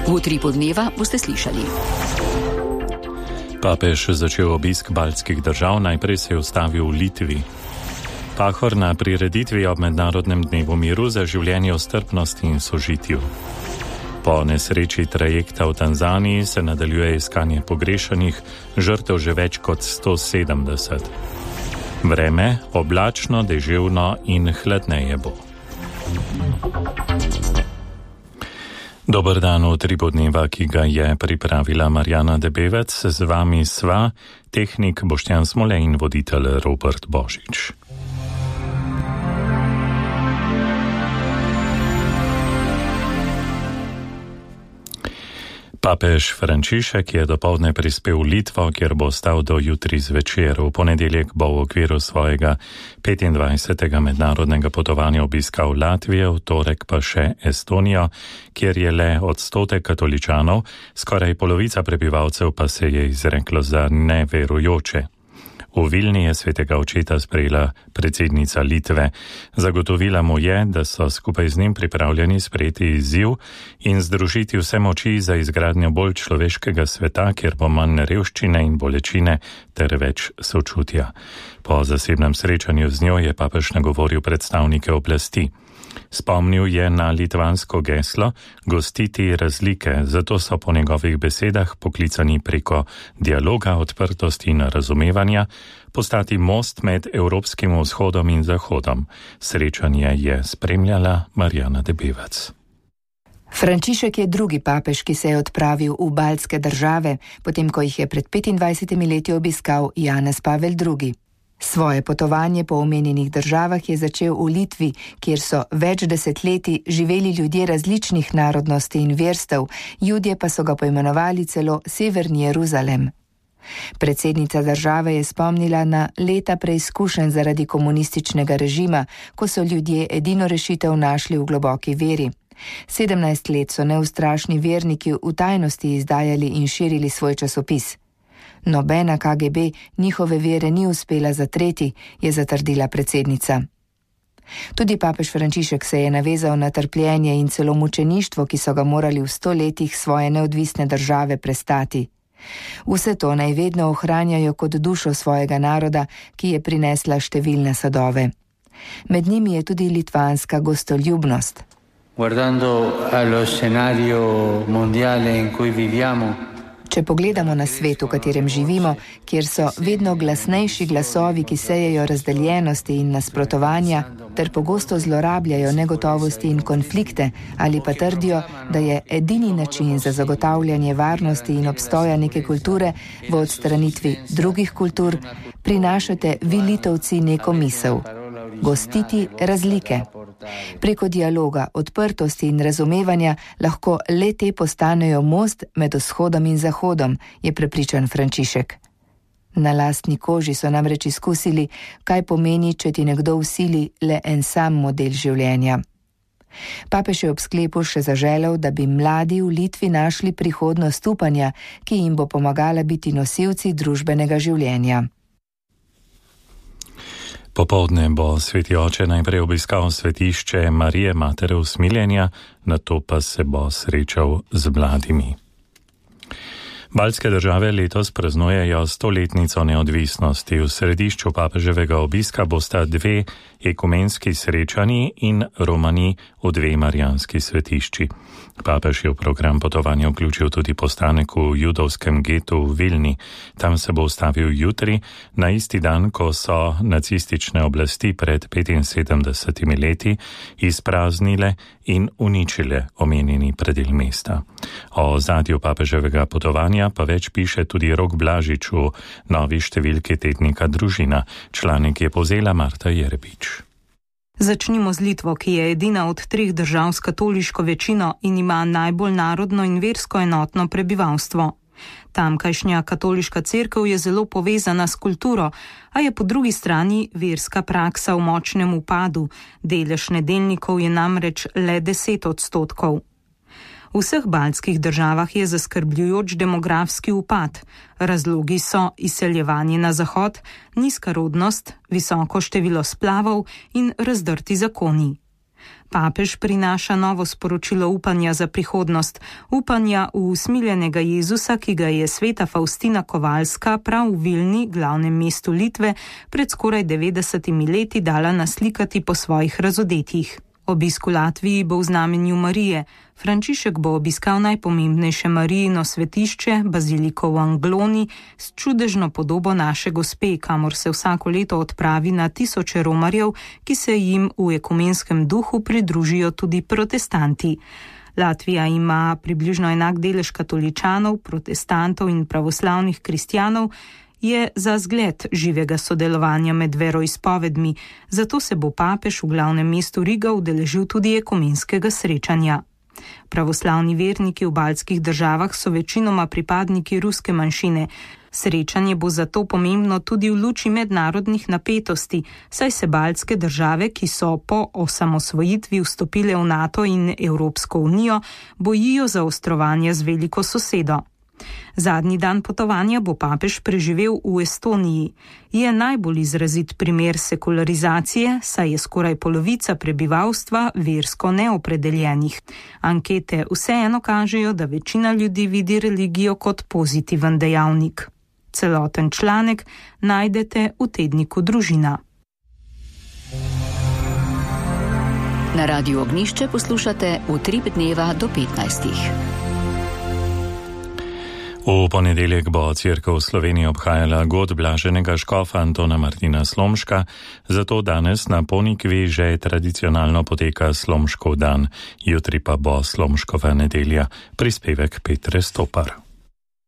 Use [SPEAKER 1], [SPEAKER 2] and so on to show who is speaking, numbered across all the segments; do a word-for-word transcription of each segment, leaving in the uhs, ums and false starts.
[SPEAKER 1] V utripu dneva boste slišali.
[SPEAKER 2] Papež začel obisk baltskih držav, najprej se je ustavil v Litvi. Pahor na prireditvi ob Mednarodnem dnevu miru za življenje v strpnosti in sožitju. Po nesreči trajekta v Tanzaniji se nadaljuje iskanje pogrešanih, žrtev že več kot sto sedemdeset. Vreme oblačno, deževno in hladneje bo. Dober dan v utripu dneva, ki ga je pripravila Marjana Debevec. Z vami sva tehnik Boštjan Smole in voditelj Robert Božič. Papež Frančišek je dopoldne prispel v Litvo, kjer bo ostal do jutri zvečer. V ponedeljek bo v okviru svojega petindvajsetega mednarodnega potovanja obiskal Latvijo, v torek pa še Estonijo, kjer je le odstotek katoličanov, skoraj polovica prebivalcev pa se je izreklo za neverujoče. V Vilni je svetega očeta sprejela predsednica Litve. Zagotovila mu je, da so skupaj z njim pripravljeni sprejeti izziv in združiti vse moči za izgradnjo bolj človeškega sveta, kjer bo manj revščine in bolečine ter več sočutja. Po zasebnem srečanju z njo je papež nagovoril predstavnike oblasti. Spomnil je na litvansko geslo gostiti razlike, zato so po njegovih besedah poklicani preko dialoga, odprtosti in razumevanja postati most med Evropskim vzhodom in zahodom. Srečanje je spremljala Marjana Debevec.
[SPEAKER 3] Frančišek je drugi papež, ki se je odpravil v baltske države, potem ko jih je pred petindvajsetimi leti obiskal Janez Pavel drugi. Svoje potovanje po omenjenih državah je začel v Litvi, kjer so več desetletij živeli ljudje različnih narodnosti in verstev, Judje pa so ga poimenovali celo Severni Jeruzalem. Predsednica države je spomnila na leta preizkušenj zaradi komunističnega režima, ko so ljudje edino rešitev našli v globoki veri. Sedemnajst let so neustrašni verniki v tajnosti izdajali in širili svoj časopis. Nobena K G B njihove vere ni uspela zatreti, je zatrdila predsednica. Tudi papež Frančišek se je navezal na trpljenje in celo mučeništvo, ki so ga morali v sto letih svoje neodvisne države prestati. Vse to naj vedno ohranjajo kot dušo svojega naroda, ki je prinesla številne sadove. Med njimi je tudi litvanska gostoljubnost.
[SPEAKER 4] Guardando allo scenario mondiale in cui viviamo,
[SPEAKER 3] Če pogledamo na svet, v katerem živimo, kjer so vedno glasnejši glasovi, ki sejejo razdeljenosti in nasprotovanja, ter pogosto zlorabljajo negotovosti in konflikte, ali pa trdijo, da je edini način za zagotavljanje varnosti in obstoja neke kulture v odstranitvi drugih kultur, prinašate vi Litovci neko misel: gostiti razlike. Preko dialoga, odprtosti in razumevanja lahko le te postanejo most med vzhodom in zahodom, je prepričan Frančišek. Na lastni koži so namreč izkusili, kaj pomeni, če ti nekdo vsili le en sam model življenja. Papež je ob sklepu še zaželel, da bi mladi v Litvi našli prihodnost upanja, ki jim bo pomagala biti nosilci družbenega življenja.
[SPEAKER 2] Popoldne bo sveti oče najprej obiskal svetišče Marije Matere usmiljenja, nato pa se bo srečal z mladimi. Baltske države letos praznujejo stoletnico neodvisnosti. V središču papeževega obiska bosta dve ekumenski srečanji in romani v dve marijanski svetišči. Papež je v program potovanja vključil tudi postanek v judovskem getu v Vilni. Tam se bo ustavil jutri, na isti dan, ko so nacistične oblasti pred petinsedemdesetimi leti izpraznile in uničile omenjeni predel mesta. O ozadju papeževega potovanja pa več piše tudi Rok Blažič v novi številki tednika Družina. Članek je povzela Marta Jerbič.
[SPEAKER 5] Začnimo z Litvo, ki je edina od treh držav s katoliško večino in ima najbolj narodno in versko enotno prebivalstvo. Tamkajšnja katoliška cerkev je zelo povezana s kulturo, a je po drugi strani verska praksa v močnem upadu. Delež nedeljnikov je namreč le deset odstotkov. V vseh baltskih državah je zaskrbljujoč demografski upad. Razlogi so izseljevanje na zahod, nizka rodnost, visoko število splavov in razdrti zakoni. Papež prinaša novo sporočilo upanja za prihodnost, upanja v usmiljenega Jezusa, ki ga je sveta Faustina Kovalska prav v Vilni, glavnem mestu Litve, pred skoraj devetdesetimi leti dala naslikati po svojih razodetjih. Obisk v Latviji bo v znamenju Marije. Frančišek bo obiskal najpomembnejše Marijino svetišče, baziliko v Angloni, s čudežno podobo naše gospe, kamor se vsako leto odpravi na tisoče romarjev, ki se jim v ekumenskem duhu pridružijo tudi protestanti. Latvija ima približno enak delež katoličanov, protestantov in pravoslavnih kristjanov, je za zgled živega sodelovanja med veroizpovedmi, zato se bo papež v glavnem mestu Riga udeležil tudi ekumenskega srečanja. Pravoslavni verniki v baltskih državah so večinoma pripadniki ruske manjšine. Srečanje bo zato pomembno tudi v luči mednarodnih napetosti, saj se baltske države, ki so po osamosvojitvi vstopile v NATO in Evropsko unijo, bojijo zaostrovanja z veliko sosedo. Zadnji dan potovanja bo papež preživel v Estoniji. Je najbolj izrazit primer sekularizacije, saj je skoraj polovica prebivalstva versko neopredeljenih. Ankete vseeno kažejo, da večina ljudi vidi religijo kot pozitiven dejavnik. Celoten članek najdete v tedniku Družina.
[SPEAKER 1] Na Radiu Ognjišče poslušate Utrip dneva do petnajstih.
[SPEAKER 2] V ponedeljek bo Cerkev v Sloveniji obhajala god blaženega škofa Antona Martina Slomška, zato danes na Ponikvi že tradicionalno poteka Slomškov dan, jutri pa bo Slomškova nedelja. Prispevek Petre Stopar.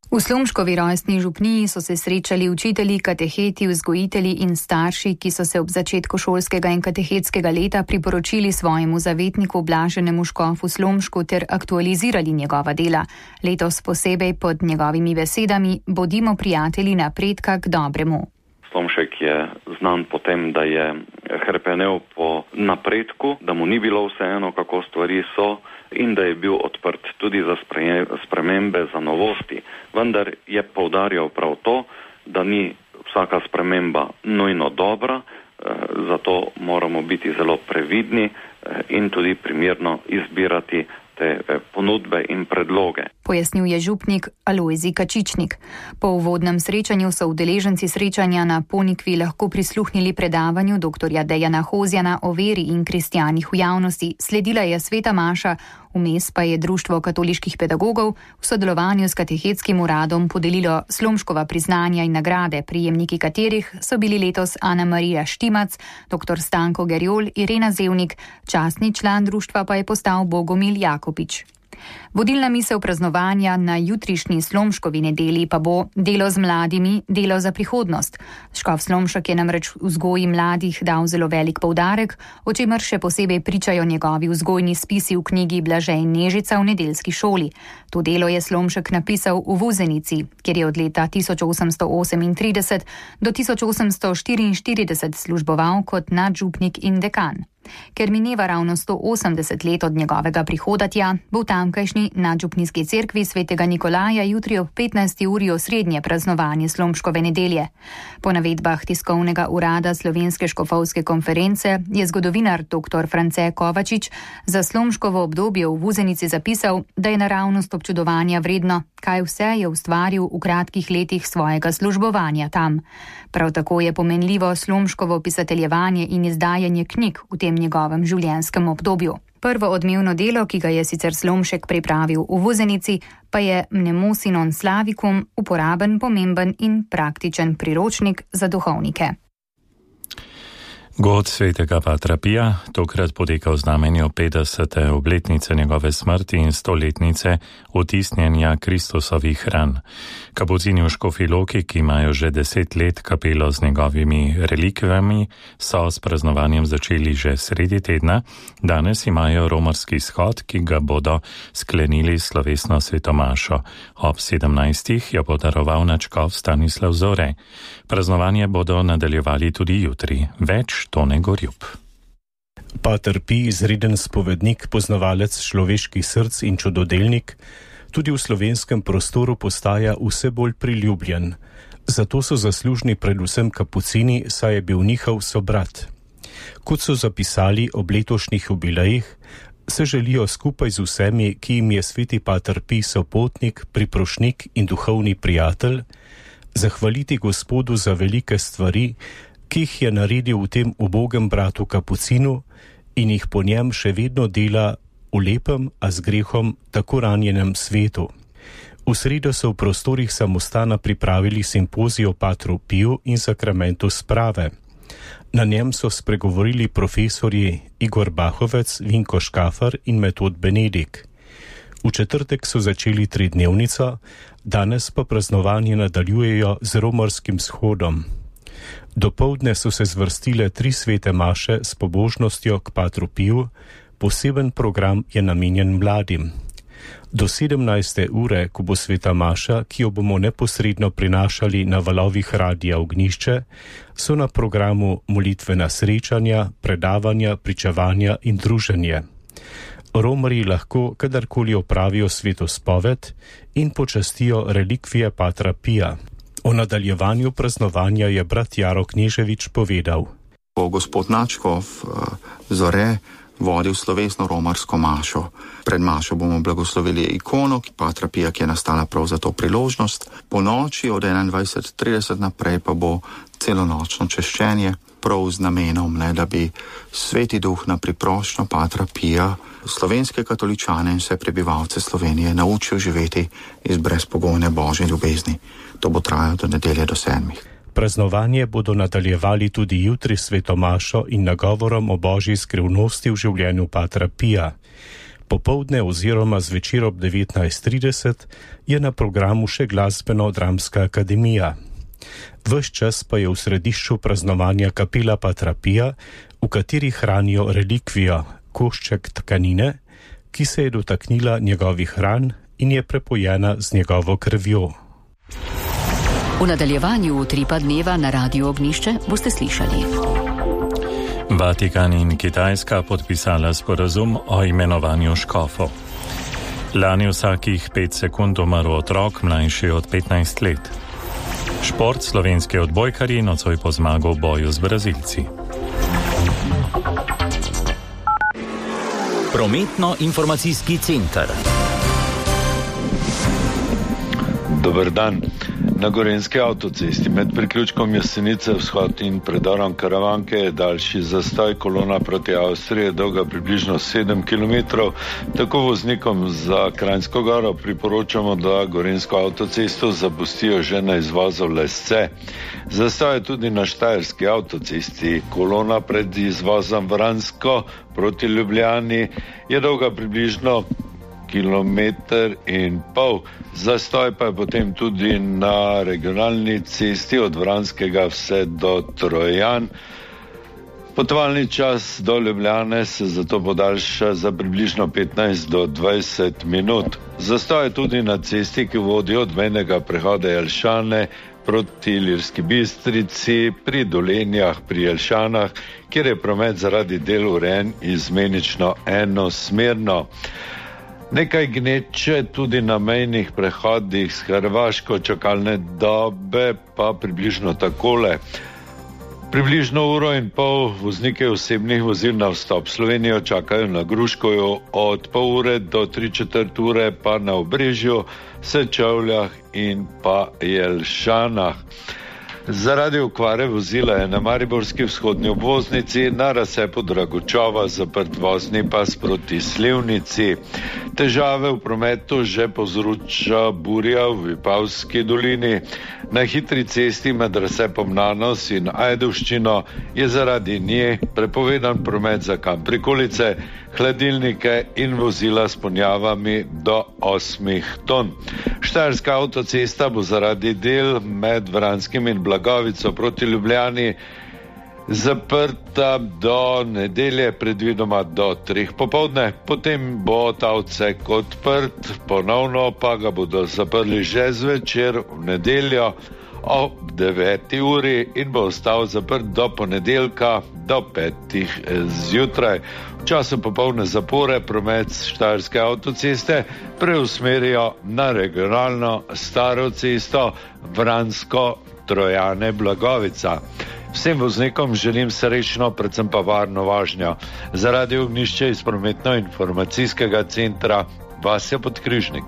[SPEAKER 3] V Slomškovi rojstni župniji so se srečali učitelji, kateheti, vzgojitelji in starši, ki so se ob začetku šolskega in katehetskega leta priporočili svojemu zavetniku blaženemu škofu Slomšku ter aktualizirali njegova dela. Letos posebej pod njegovimi besedami bodimo prijatelji napredka k dobremu.
[SPEAKER 6] Slomšek je znan po tem, da je hrepenel po napredku, da mu ni bilo vseeno, kako stvari so, in da je bil odprt tudi za spremembe, za novosti. Vendar je poudarjal prav to, da ni vsaka sprememba nujno dobra, zato moramo biti zelo previdni in tudi primerno izbirati te ponudbe in predloge.
[SPEAKER 3] Pojasnil je župnik Alojzij Kačičnik. Po uvodnem srečanju so udeleženci srečanja na Ponikvi lahko prisluhnili predavanju doktorja Dejana Hozjana o veri in kristjanih v javnosti. Sledila je sveta maša, vmes pa je Društvo katoliških pedagogov v sodelovanju s katehetskim uradom podelilo Slomškova priznanja in nagrade, prijemniki katerih so bili letos Ana Marija Štimac, doktor Stanko Gerjol, Irena Zevnik, častni član društva pa je postal Bogomil Jakopič. Vodilna misel praznovanja na jutrišnji Slomškovi nedelji pa bo delo z mladimi, delo za prihodnost. Škof Slomšek je namreč vzgoji mladih dal zelo velik poudarek, o čemer še posebej pričajo njegovi vzgojni spisi v knjigi Blaže in Nežica v nedeljski šoli. To delo je Slomšek napisal v Vuzenici, kjer je od leta tisoč osemsto osemintrideset do tisoč osemsto štiriinštirideset služboval kot nadžupnik in dekan. Ker mineva ravno sto osemdeset let od njegovega prihoda tja, bo v tamkajšnji nadžupnijski cerkvi svetega Nikolaja jutri ob petnajsti uri osrednje praznovanje Slomškove nedelje. Po navedbah tiskovnega urada Slovenske škofovske konference je zgodovinar dr. France Kovačič za Slomškovo obdobje v Vuzenici zapisal, da je naravnost občudovanja vredno, kaj vse je ustvaril v kratkih letih svojega službovanja tam. Prav tako je pomenljivo Slomškovo pisateljevanje in izdajanje knjig v tem njegovem življenjskem obdobju. Prvo odmevno delo, ki ga je sicer Slomšek pripravil v Vuzenici, pa je Mnemosi non Slavicum, uporaben, pomemben in praktičen priročnik za duhovnike.
[SPEAKER 2] God svetega Patra Pija tokrat poteka v znamenju petdesete obletnice njegove smrti in stoletnice otisnjenja Kristusovih ran. Kapucini v Škofji Loki, ki imajo že deset let kapelo z njegovimi relikvijami, so s praznovanjem začeli že sredi tedna. Danes imajo romarski shod, ki ga bodo sklenili slovesno svetomašo. Ob sedemnajstih jo bo daroval nadškof Stanislav Zore. Praznovanje bodo nadaljevali tudi jutri. Več Tone Gorjub.
[SPEAKER 7] Pater Pij, izreden spovednik, poznavalec človeških src in čudodelnik, tudi v slovenskem prostoru postaja vse bolj priljubljen. Zato so zaslužni predvsem kapucini, saj je bil njihov sobrat. Kot so zapisali ob letošnjih jubilejih, se želijo skupaj z vsemi, ki jim je sveti pater Pij sopotnik, priprošnik in duhovni prijatelj, zahvaliti Gospodu za velike stvari, ki jih je naredil v tem ubogem bratu Kapucinu in jih po njem še vedno dela v lepem, a z grehom tako ranjenem svetu. V sredo so v prostorih samostana pripravili simpozij o patru Piju in sakramentu sprave. Na njem so spregovorili profesorji Igor Bahovec, Vinko Škafar in Metod Benedik. V četrtek so začeli tridnevnico, danes pa praznovanje nadaljujejo z romarskim shodom. Dopoldne so se zvrstile tri svete maše s pobožnostjo k patru Piju, poseben program je namenjen mladim. Do sedemnajste ure, ko bo sveta maša, ki jo bomo neposredno prinašali na valovih Radia Ognišče, so na programu molitvena srečanja, predavanja, pričevanja in druženje. Romarji lahko kadarkoli opravijo svetospoved in počastijo relikvije patra Pija. O nadaljevanju praznovanja je brat Jaro Kneževič povedal.
[SPEAKER 8] Bo gospod Načkov Zore vodil slovesno romarsko mašo. Pred mašo bomo blagoslovili ikono patra Pija, ki je nastala prav za to priložnost. Po noči od enaindvajset trideset naprej pa bo celonočno češčenje, prav z namenom, ne, da bi sveti duh na priprošnjo patra Pija slovenske katoličane in vse prebivalce Slovenije naučil živeti iz brezpogojne božje ljubezni. To bo trajalo do nedelje do sedmih.
[SPEAKER 7] Praznovanje bodo nadaljevali tudi jutri sveto mašo in nagovorom o božji skrivnosti v življenju patra Pija. Popoldne oziroma zvečer ob devetnajst trideset je na programu še glasbeno-dramska akademija. Ves čas pa je v središču praznovanja kapela patra Pija, v kateri hranijo relikvijo, košček tkanine, ki se je dotaknila njegovih ran in je prepojena z njegovo krvjo.
[SPEAKER 1] V nadaljevanju utripa dneva na Radiu Ognišče boste slišali.
[SPEAKER 2] Vatikan in Kitajska podpisala sporazum o imenovanju škofov. Lani vsakih pet sekund umrl otrok mlajši od petnajst let. Šport, slovenski odbojkarji nocoj po zmago v boju z Brazilci.
[SPEAKER 9] Prometno-informacijski center.
[SPEAKER 10] Dober dan. Na Gorenjski avtocesti med priključkom Jesenice vzhod in predorom Karavanke je daljši zastoj. Kolona proti Avstriji je dolga približno sedem kilometrov. Tako voznikom za Kranjsko Goro priporočamo, da Gorenjsko avtocesto zapustijo že na izvozu Lesce. Zastoj je tudi na Štajerski avtocesti. Kolona pred izvozom Vransko proti Ljubljani je dolga približno kilometer in pol. Zastoj pa je potem tudi na regionalni cesti od Vranskega vse do Trojan. Potovalni čas do Ljubljane se zato podaljša za približno petnajst do dvajset minut. Zastoj je tudi na cesti, ki vodi od mejnega prehoda Jelšane proti Ilirski Bistrici pri Dolenjah pri Jelšanah, kjer je promet zaradi del urejen izmenično enosmerno. Nekaj gneče tudi na mejnih prehodih s Hrvaško, čakalne dobe pa približno takole. Približno uro in pol voznike osebnih vozil na vstop Slovenijo čakajo na Gruškoju, od pol ure do tri četrt ure pa na Obrežju, Sečovljah in pa Jelšanah. Zaradi okvare vozila je na mariborski vzhodni obvoznici na razcepu Dragočova zaprt vozni pas proti Slivnici. Težave v prometu že povzroča burja v Vipavski dolini. Na hitri cesti med razcepom Nanos in Ajdovščino je zaradi nje prepovedan promet za kamprikolice, hladilnike in vozila s ponjavami do osmih ton. Štajerska avtocesta bo zaradi del med Vranskim in Blagovico proti Ljubljani zaprta do nedelje, predvidoma do treh popoldne. Potem bo ta odsek odprt, ponovno pa ga bodo zaprli že zvečer v nedeljo ob deveti uri in bo ostal zaprt do ponedeljka do petih zjutraj. V času popolne zapore promet Štajerske avtoceste preusmerijo na regionalno staro cesto Vransko Trojane Blagovica. Vsem voznikom želim srečno, predvsem pa varno vožnjo. Za Radio Ognjišče iz prometno-informacijskega centra Vasja Podkrižnik.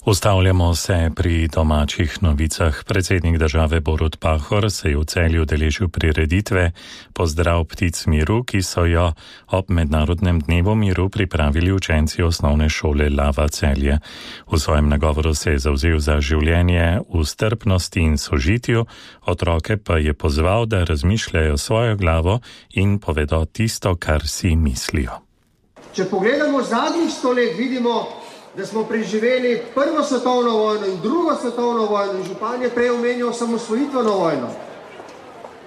[SPEAKER 2] Ustavljamo se pri domačih novicah. Predsednik države Borut Pahor se je v Celju udeležil prireditve Pozdrav ptic miru, ki so jo ob Mednarodnem dnevu miru pripravili učenci osnovne šole Lava Celje. V svojem nagovoru se je zavzel za življenje v strpnosti in sožitju, otroke pa je pozval, da razmišljajo svojo glavo in povedo tisto, kar si mislijo.
[SPEAKER 11] Če pogledamo zadnjih sto let, vidimo, da smo preživeli prvo svetovno vojno in drugo svetovno vojno in župan je prej omenjal samosvojitveno vojno.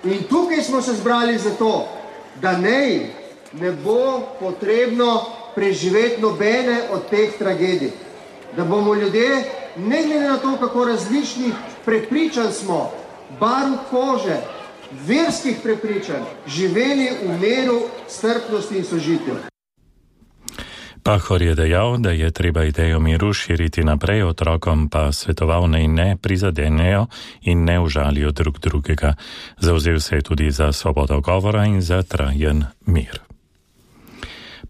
[SPEAKER 11] In tukaj smo se zbrali zato, da nej ne bo potrebno preživeti nobene od teh tragedij. Da bomo ljudje, ne glede na to, kako različnih prepričanj smo, barv kože, verskih prepričanj, živeli v miru, strpnosti in sožitju.
[SPEAKER 2] Pahor je dejal, da je treba idejo miru širiti naprej, otrokom pa svetoval naj ne prizadenejo in ne užalijo drug drugega. Zavzel se je tudi za svobodo govora in za trajen mir.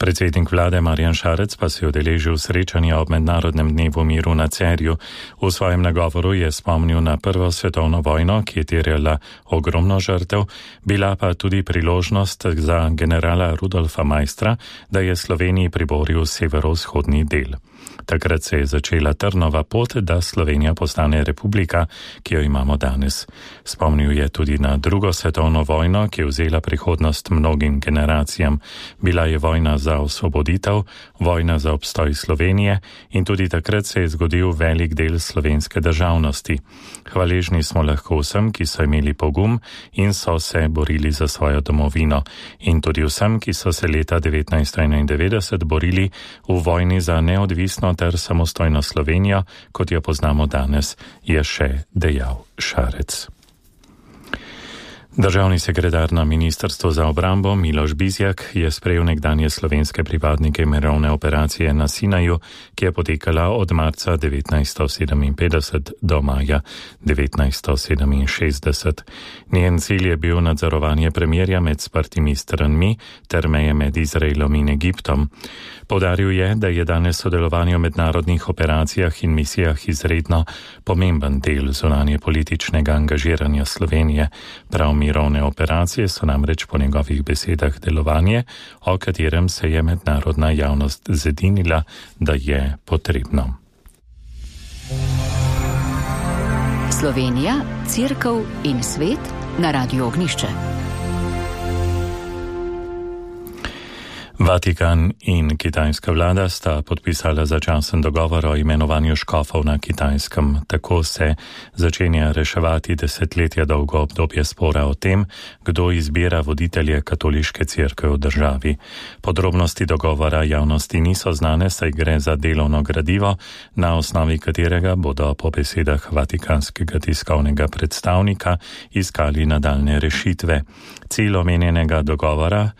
[SPEAKER 2] Predsednik vlade Marjan Šarec pa se je udeležil srečanja ob Mednarodnem dnevu miru na Cerju. V svojem nagovoru je spomnil na prvo svetovno vojno, ki je terjala ogromno žrtev, bila pa tudi priložnost za generala Rudolfa Maistra, da je Sloveniji priboril severovzhodni del. Takrat se je začela trnova pot, da Slovenija postane republika, ki jo imamo danes. Spomnil je tudi na drugo svetovno vojno, ki je vzela prihodnost mnogim generacijam. Bila je vojna za osvoboditev, vojna za obstoj Slovenije in tudi takrat se je zgodil velik del slovenske državnosti. Hvaležni smo lahko vsem, ki so imeli pogum in so se borili za svojo domovino, in tudi vsem, ki so se leta devetnajststo enaindevetdeset borili v vojni za neodvisno ter samostojno Slovenijo, kot jo poznamo danes, je še dejal Šarec. Državni sekretar na Ministrstvu za obrambo Miloš Bizjak je sprejel nekdanje slovenske pripadnike mirovne operacije na Sinaju, ki je potekala od marca devetnajststo sedeminpetdeset do maja devetnajststo sedeminšestdeset. Njen cilj je bil nadzorovanje premirja med sprtimi stranmi ter meje med Izraelom in Egiptom. Poudaril je, da je danes sodelovanje v mednarodnih operacijah in misijah izredno pomemben del zunanje političnega angažiranja Slovenije. Prav mirovne operacije so namreč po njegovih besedah delovanje, o katerem se je mednarodna javnost zedinila, da je potrebno.
[SPEAKER 1] Slovenija, Cerkev in svet na Radiu Ognjišče.
[SPEAKER 2] Vatikan in kitajska vlada sta podpisala začasen dogovor o imenovanju škofov na Kitajskem. Tako se začenja reševati desetletja dolgo obdobje spora o tem, kdo izbira voditelje katoliške cerkve v državi. Podrobnosti dogovora javnosti niso znane, saj gre za delovno gradivo, na osnovi katerega bodo po besedah vatikanskega tiskovnega predstavnika iskali nadaljne rešitve. Cilj omenjenega dogovora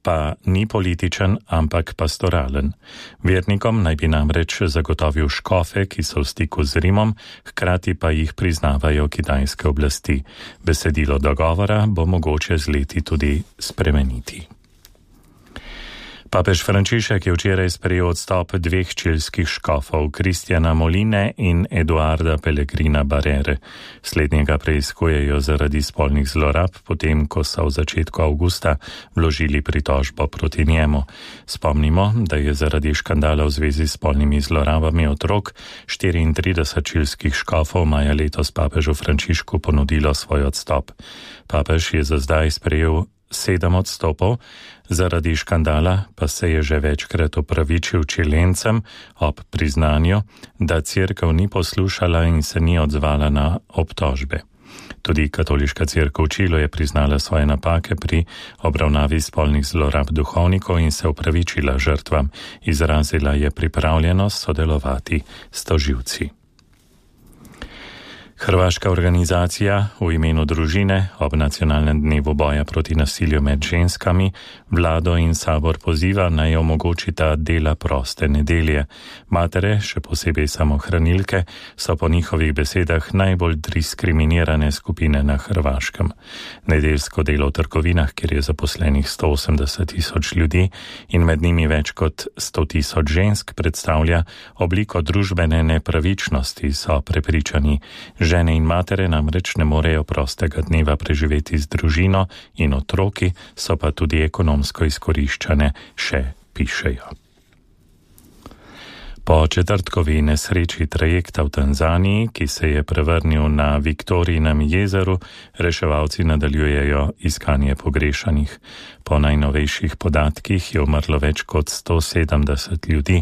[SPEAKER 2] pa ni političen, ampak pastoralen. Vernikom naj bi namreč zagotovil škofe, ki so v stiku z Rimom, hkrati pa jih priznavajo kitajske oblasti. Besedilo dogovora bo mogoče z leti tudi spremeniti. Papež Frančišek je včeraj sprejel odstop dveh čilskih škofov, Kristjana Moline in Eduarda Pellegrina Barrere. Slednjega preiskujejo zaradi spolnih zlorab, potem ko so v začetku avgusta vložili pritožbo proti njemu. Spomnimo, da je zaradi škandala v zvezi s spolnimi zlorabami otrok štiriintrideset čilskih škofov maja letos papežu Frančišku ponudilo svoj odstop. Papež je za zdaj sprejel sedem odstopov, zaradi škandala pa se je že večkrat opravičil čilencem ob priznanju, da cerkev ni poslušala in se ni odzvala na obtožbe. Tudi katoliška cerkev v Čilu je priznala svoje napake pri obravnavi spolnih zlorab duhovnikov in se opravičila žrtvam. Izrazila je pripravljenost sodelovati s tožilci. Hrvaška organizacija v imenu družine ob nacionalnem dnevu boja proti nasilju med ženskami vlado in sabor poziva naj omogočita dela proste nedelje. Matere, še posebej samohranilke, so po njihovih besedah najbolj diskriminirane skupine na Hrvaškem. Nedeljsko delo v trgovinah, kjer je zaposlenih sto osemdeset tisoč ljudi in med njimi več kot sto tisoč žensk, predstavlja obliko družbene nepravičnosti, so prepričani. Žene in matere namreč ne morejo prostega dneva preživeti z družino in otroki, so pa tudi ekonomsko izkoriščane, še pišejo. Po četrtkovi nesreči trajekta v Tanzaniji, ki se je prevrnil na Viktorijinem jezeru, reševalci nadaljujejo iskanje pogrešanih. Po najnovejših podatkih je umrlo več kot sto sedemdeset ljudi.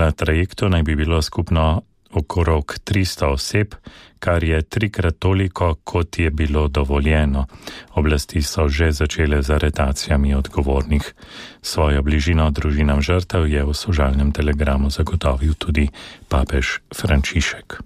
[SPEAKER 2] Na trajektu naj bi bilo skupno okrog tristo oseb, kar je trikrat toliko, kot je bilo dovoljeno. Oblasti so že začele z aretacijami odgovornih. Svojo bližino družinam žrtev je v sožalnem telegramu zagotovil tudi papež Frančišek.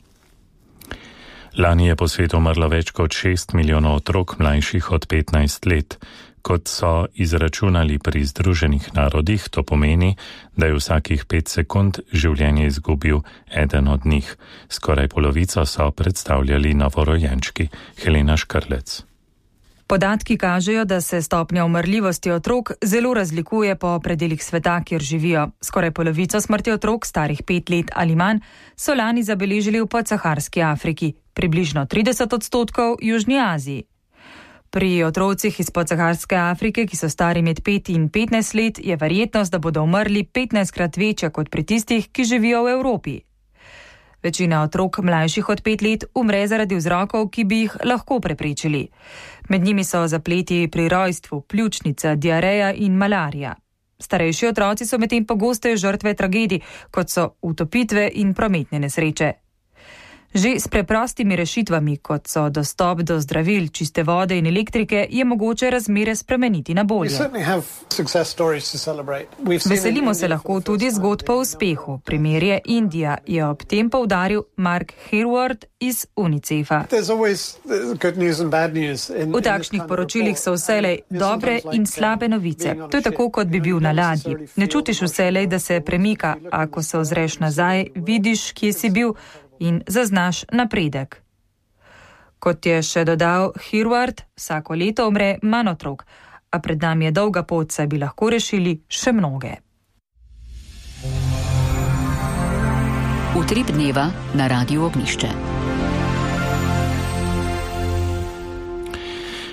[SPEAKER 2] Lani je po svetu umrlo več kot šest milijonov otrok mlajših od petnajst let. Kot so izračunali pri Združenih narodih, to pomeni, da je vsakih pet sekund življenje izgubil eden od njih. Skoraj polovico so predstavljali novorojenčki. Helena Škrlec.
[SPEAKER 12] Podatki kažejo, da se stopnja umrljivosti otrok zelo razlikuje po predelih sveta, kjer živijo. Skoraj polovico smrti otrok, starih pet let ali manj, so lani zabeležili v podsaharski Afriki, približno trideset odstotkov v Južni Aziji. Pri otrocih iz podsaharske Afrike, ki so stari med pet in petnajst let, je verjetnost, da bodo umrli petnajstkrat večja kot pri tistih, ki živijo v Evropi. Večina otrok mlajših od pet let umre zaradi vzrokov, ki bi jih lahko preprečili. Med njimi so zapleti pri rojstvu, pljučnica, diareja in malarija. Starejši otroci so medtem pogosteje žrtve tragedij, kot so utopitve in prometne nesreče. Že s preprostimi rešitvami, kot so dostop do zdravil, čiste vode in elektrike, je mogoče razmere spremeniti na bolje. Veselimo se lahko tudi zgodb o uspehu. Primer je Indija, je ob tem poudaril Mark Herward iz UNICEF-a. V takšnih poročilih so vselej dobre in slabe novice. To je tako, kot bi bil na ladji. Ne čutiš vselej, da se premika, ako se ozreš nazaj, vidiš, kje si bil, in zaznaš napredek. Kot je še dodal Herward, vsako leto umre manj otrok, a pred nami je dolga pot, saj bi lahko rešili še mnoge.
[SPEAKER 1] Utrip dneva na Radiu Ognjišče.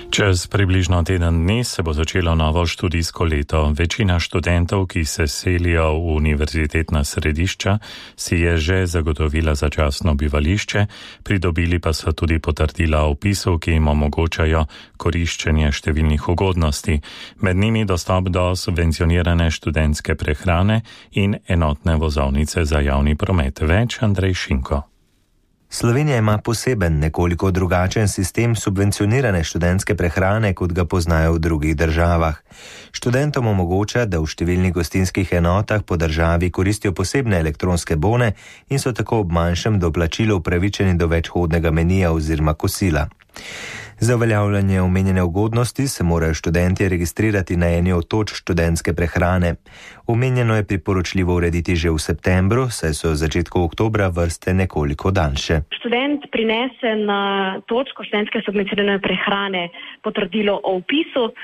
[SPEAKER 2] Čez približno teden dni se bo začelo novo študijsko leto. Večina študentov, ki se selijo v univerzitetna središča, si je že zagotovila začasno bivališče, pridobili pa so tudi potrdila o vpisu, ki jim omogočajo koriščenje številnih ugodnosti, med njimi dostop do subvencionirane študentske prehrane in enotne vozovnice za javni promet. Več Andrej Šinko.
[SPEAKER 13] Slovenija ima poseben, nekoliko drugačen sistem subvencionirane študentske prehrane, kot ga poznajo v drugih državah. Študentom omogoča, da v številnih gostinskih enotah po državi koristijo posebne elektronske bone in so tako ob manjšem doplačilu upravičeni do večhodnega menija oziroma kosila. Za uveljavljanje omenjene ugodnosti se morajo študentje registrirati na eni od točk študentske prehrane. Omenjeno je priporočljivo urediti že v septembru, saj so v začetku oktobra vrste nekoliko daljše.
[SPEAKER 14] Študent prinese na točko študentske subvencionirane prehrane potrdilo o vpisu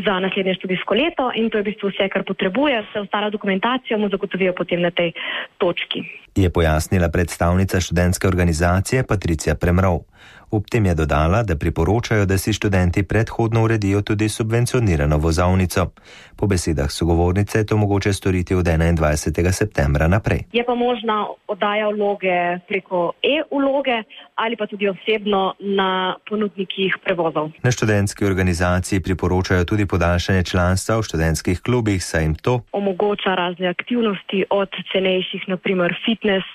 [SPEAKER 14] za naslednje študijsko leto in to je v bistvu vse, kar potrebuje, vse ostala dokumentacija mu zagotovijo potem na tej točki.
[SPEAKER 13] Je pojasnila predstavnica študentske organizacije Patricija Premrov. Ob tem je dodala, da priporočajo, da si študenti predhodno uredijo tudi subvencionirano vozovnico. Po besedah sogovornice je to mogoče storiti od enaindvajsetega septembra naprej.
[SPEAKER 14] Je pa možna oddaja vloge preko e-vloge ali pa tudi osebno na ponudnikih prevozov.
[SPEAKER 13] Na študentski organizaciji priporočajo tudi podaljšanje članstva v študentskih klubih, saj jim to
[SPEAKER 14] omogoča razne aktivnosti od cenejših, na primer fitness,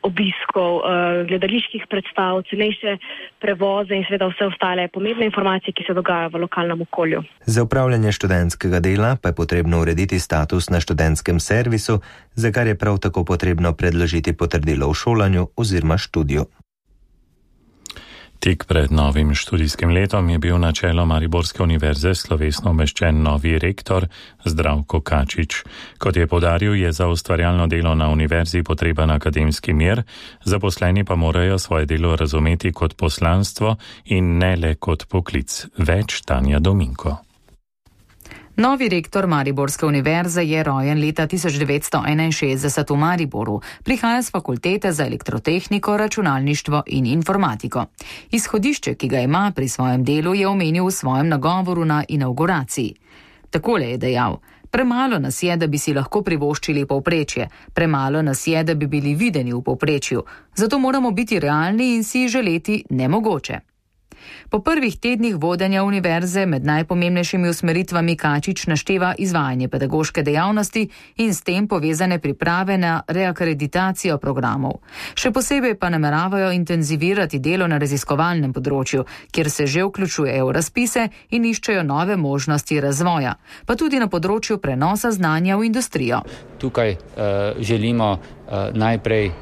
[SPEAKER 14] obiskov, gledaliških predstav, cenejše prevoze in seveda vse ostale pomembne informacije, ki se dogajajo v lokalnem okolju.
[SPEAKER 13] Za upravljanje študentskega dela pa je potrebno urediti status na študentskem servisu, za kar je prav tako potrebno predložiti potrdilo o šolanju oziroma študiju.
[SPEAKER 2] Tik pred novim študijskim letom je bil na čelo Mariborske univerze slovesno umeščen novi rektor Zdravko Kačič. Kot je poudaril, je za ustvarjalno delo na univerzi potreben akademski mir, zaposleni pa morajo svoje delo razumeti kot poslanstvo in ne le kot poklic. Več Tanja Dominko.
[SPEAKER 15] Novi rektor Mariborske univerze je rojen leta tisoč devetsto enainšestdeset v Mariboru. Prihaja z fakultete za elektrotehniko, računalništvo in informatiko. Izhodišče, ki ga ima pri svojem delu, je omenil v svojem nagovoru na inauguraciji. Takole je dejal: premalo nas je, da bi si lahko privoščili povprečje, premalo nas je, da bi bili videni v povprečju. Zato moramo biti realni in si želeti nemogoče. Po prvih tednih vodenja univerze med najpomembnejšimi usmeritvami Kačič našteva izvajanje pedagoške dejavnosti in s tem povezane priprave na reakreditacijo programov. Še posebej pa nameravajo intenzivirati delo na raziskovalnem področju, kjer se že vključujejo v razpise in iščejo nove možnosti razvoja, pa tudi na področju prenosa znanja v industrijo.
[SPEAKER 16] Tukaj uh, želimo uh, najprej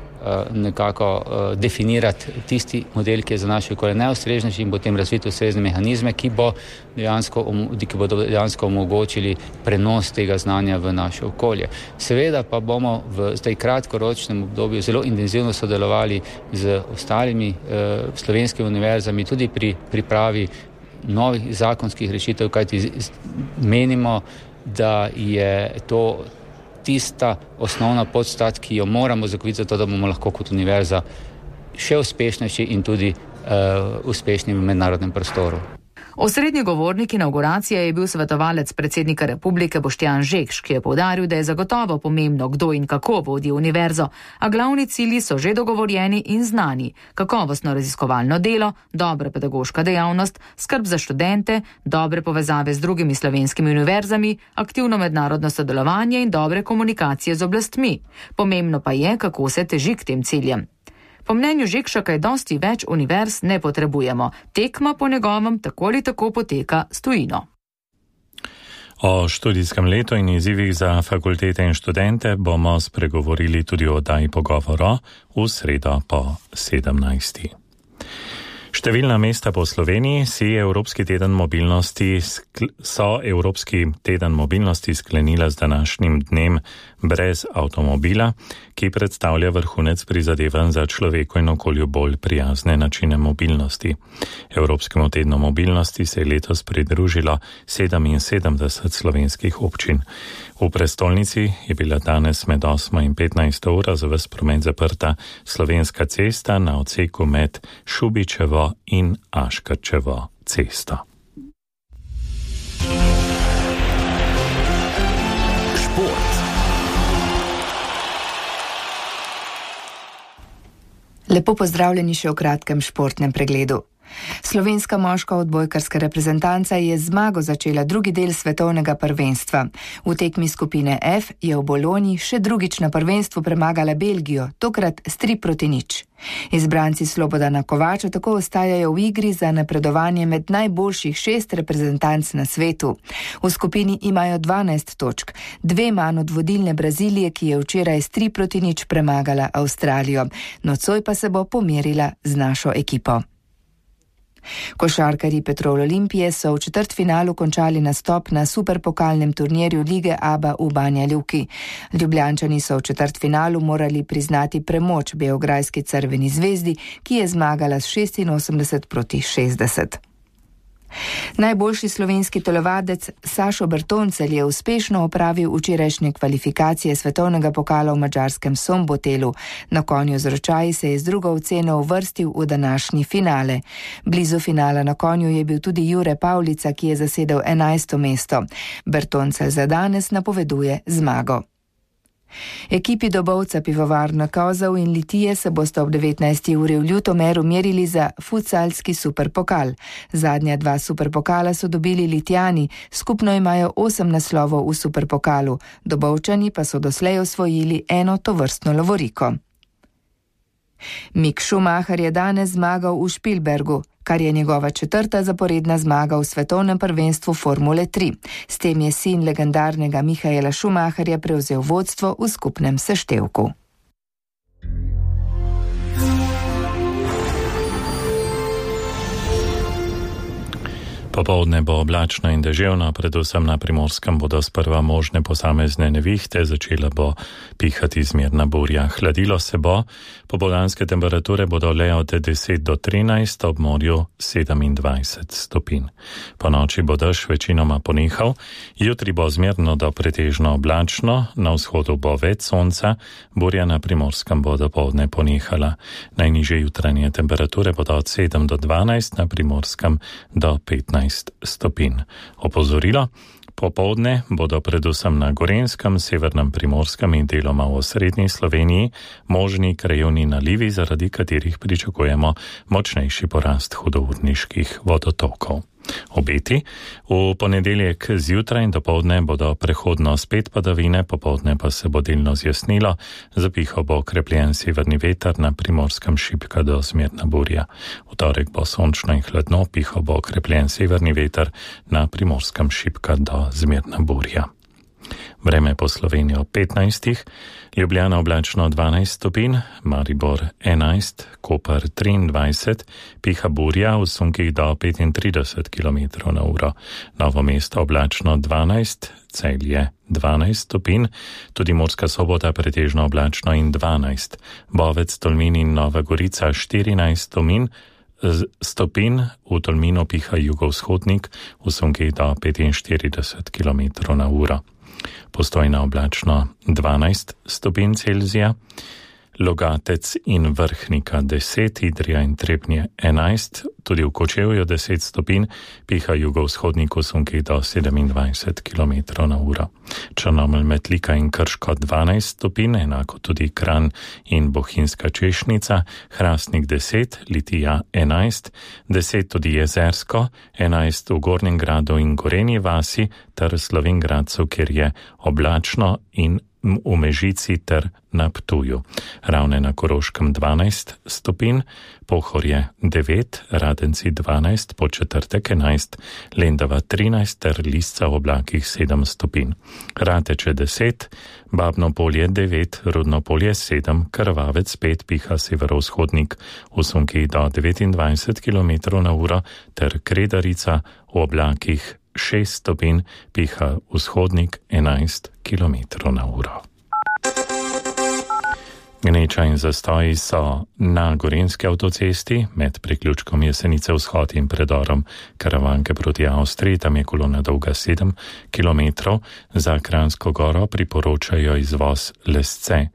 [SPEAKER 16] nekako uh, definirati tisti model, ki je za naše okolje najustreznejši in potem razviti ustrezne mehanizme, ki, bo dejansko, ki bodo dejansko omogočili prenos tega znanja v naše okolje. Seveda pa bomo v zdaj kratkoročnem obdobju zelo intenzivno sodelovali z ostalimi uh, slovenskimi univerzami, tudi pri pripravi novih zakonskih rešitev, kajti menimo, da je to tista osnovna podstat, ki jo moramo zagotoviti za to, da bomo lahko kot univerza še uspešnejši in tudi uh, uspešni v mednarodnem prostoru.
[SPEAKER 15] Osrednji govornik inauguracije je bil svetovalec predsednika republike Boštjan Žekš, ki je poudaril, da je zagotovo pomembno, kdo in kako vodi univerzo, a glavni cilji so že dogovorjeni in znani: kakovostno raziskovalno delo, dobra pedagoška dejavnost, skrb za študente, dobre povezave z drugimi slovenskimi univerzami, aktivno mednarodno sodelovanje in dobre komunikacije z oblastmi. Pomembno pa je, kako se teži k tem ciljem. Po mnenju Žekša kaj dosti več univerz ne potrebujemo. Tekma po njegovem tako ali tako poteka s tujino.
[SPEAKER 2] O študijskem letu in izzivih za fakultete in študente bomo spregovorili tudi o oddaji Pogovoro v sredo po sedemnajsti. Številna mesta po Sloveniji si Evropski teden mobilnosti so Evropski teden mobilnosti sklenila z današnjim dnem brez avtomobila, ki predstavlja vrhunec prizadevanj za človeku in okolju bolj prijazne načine mobilnosti. Evropskemu tednu mobilnosti se je letos pridružilo sedeminsedemdeset slovenskih občin. V prestolnici je bila danes med osmo in petnajsto uro za ves promet zaprta slovenska cesta na odseku med Šubičevo in Aškerčevo cesto.
[SPEAKER 1] Šport.
[SPEAKER 3] Lepo pozdravljeni še v kratkem športnem pregledu. Slovenska moška odbojkarska reprezentanca je z zmago začela drugi del svetovnega prvenstva. V tekmi skupine F je v Bologni še drugič na prvenstvu premagala Belgijo, tokrat s tri proti nič. Izbranci Slobodana Kovača tako ostajajo v igri za napredovanje med najboljših šest reprezentanc na svetu. V skupini imajo dvanajst točk, dve manj od vodilne Brazilije, ki je včeraj s tri proti nič premagala Avstralijo. Nocoj pa se bo pomerila z našo ekipo. Košarkarji Petrol Olimpije so v četrtfinalu končali nastop na superpokalnem turnirju lige Aba v Banja Luki. Ljubljančani so v četrtfinalu morali priznati premoč beograjski Crveni zvezdi, ki je zmagala s šestinosemdeset proti šestdeset. Najboljši slovenski telovadec Sašo Bertoncelj je uspešno opravil včerajšnje kvalifikacije svetovnega pokala v madžarskem Sombotelu. Na konju z ročaji se je z drugo oceno uvrstil v današnji finale. Blizu finala na konju je bil tudi Jure Pavlica, ki je zasedel enajsto mesto. Bertoncelj za danes napoveduje zmago. Ekipi dobovca Pivovarna Kozov in Litije se bosta ob devetnajsti uri v Ljutomeru merili za futsalski superpokal. Zadnja dva superpokala so dobili Litijani, skupno imajo osem naslovov v superpokalu, Dobovčani pa so doslej osvojili eno tovrstno lovoriko. Mick Schumacher je danes zmagal v Špilbergu, kar je njegova četrta zaporedna zmaga v svetovnem prvenstvu Formule tri. S tem je sin legendarnega Michaela Schumacherja prevzel vodstvo v skupnem seštevku.
[SPEAKER 2] Popoldne bo oblačno in deževno, predvsem na Primorskem bodo sprva možne posamezne nevihte, začela bo pihati zmerna burja. Hladilo se bo, popoldanske temperature bodo le od deset do trinajst, ob morju sedemindvajset stopinj. Po noči bo dež večinoma ponehal, jutri bo zmerno do pretežno oblačno, na vzhodu bo več sonca, burja na Primorskem bo dopoldne ponehala. Najnižje jutranje temperature bodo od sedem do dvanajst, na Primorskem do petnajst stopinj. Opozorilo, popoldne bodo predvsem na Gorenjskem, severnem Primorskem in deloma v osrednji Sloveniji možni krajevni nalivi, zaradi katerih pričakujemo močnejši porast hudourniških vodotokov. Obeti. V ponedeljek zjutraj in dopoldne bodo prehodno spet padavine, popoldne pa se bo delno zjasnilo, zapihal bo okrepljen severni veter, na Primorskem šibka do zmerna burja. V torek bo sončno in hladno, pihal bo okrepljen severni veter, na Primorskem šibka do zmerna burja. Vreme po Sloveniji ob petnajstih, Ljubljana oblačno dvanajst stopinj, Maribor enajst, Koper triindvajset, piha burja v sunkih do petintrideset kilometrov na uro, Novo mesto oblačno dvanajst, Celje dvanajst stopinj, tudi Murska Sobota pretežno oblačno in dvanajst, Bovec, Tolmin in Nova Gorica štirinajst stopinj, stopin, v Tolminu piha jugovzhodnik v sunkih do petinštirideset kilometrov na uro. Postojna oblačno dvanajst stopinj Celzija, Logatec in Vrhnika deset, Idrija in Trebnje enajst, tudi v Kočevju deset stopinj, piha jugovzhodnik v sunkih do sedemindvajset kilometrov na uro. Črnomelj, Metlika in Krško dvanajst stopinj, enako tudi Kranj in Bohinjska Češnica, Hrastnik deset, Litija enajst, deset tudi Jezersko, enajst v Gornjem Gradu in Gorenji vasi ter Slovenj Gradcu, kjer je oblačno in v Mežici ter na Ptuju. Ravne na Koroškem dvanajst stopinj, Pohorje devet, Radenci dvanajst, Podčetrtek enajst, Lendava trinajst ter Lisca v oblakih sedem stopinj. Rateče deset, Babno Polje devet, Rudno Polje sedem, Krvavec pet, piha severovzhodnik v sunkih do devetindvajset kilometrov na uro ter Kredarica v oblakih šest stopinj, piha vzhodnik enajst kilometrov na uro. Gneča in zastoji so na Gorenjski avtocesti med priključkom Jesenice vzhod in predorom Karavanke proti Avstriji, tam je kolona dolga sedem kilometrov, za Kranjsko goro priporočajo izvoz Lesce.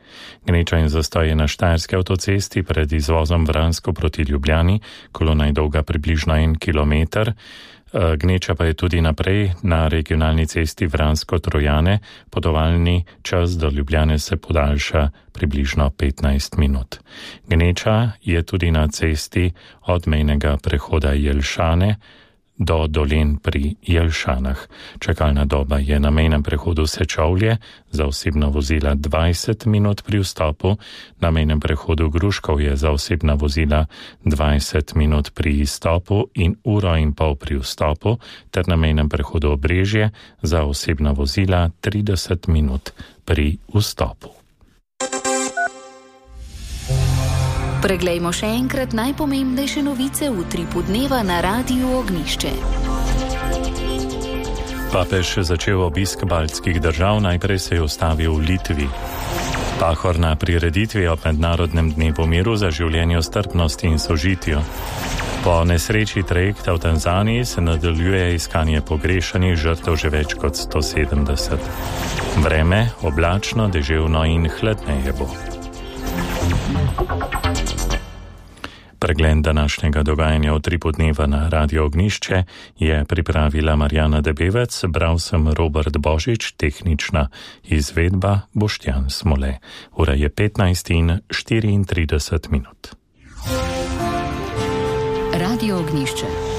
[SPEAKER 2] Gneča in zastoji na Štajerski avtocesti pred izvozom Vransko proti Ljubljani, kolona je dolga približno en kilometer. Gneča pa je tudi naprej na regionalni cesti Vransko-Trojane, potovalni čas do Ljubljane se podaljša približno petnajst minut. Gneča je tudi na cesti od mejnega prehoda Jelšane do Dolen pri Jelšanah. Čakalna doba je na mejnem prehodu Sečovlje, za osebna vozila dvajset minut pri vstopu, na mejnem prehodu Gruškov je za osebna vozila dvajset minut pri izstopu in uro in pol pri vstopu, ter na mejnem prehodu Obrežje za osebna vozila trideset minut pri vstopu.
[SPEAKER 1] Preglejmo še enkrat najpomembnejše novice v utripu dneva na Radiu Ognišče.
[SPEAKER 2] Papež začel obisk baltskih držav, najprej se je ustavil v Litvi. Pahor na prireditvi ob mednarodnem dnevu miru za življenje, strpnosti in sožitju. Po nesreči trajekta v Tanzaniji se nadaljuje iskanje pogrešanih žrtev že več kot sto sedemdeset. Vreme oblačno, deževno in hladneje bo. Pregled današnjega dogajanja v utripu dneva na Radio Ognišče je pripravila Marjana Debevec, bral sem Robert Božič, tehnična izvedba Boštjan Smole. Ura je petnajst in štiriintrideset minut.
[SPEAKER 1] Radio Ognišče.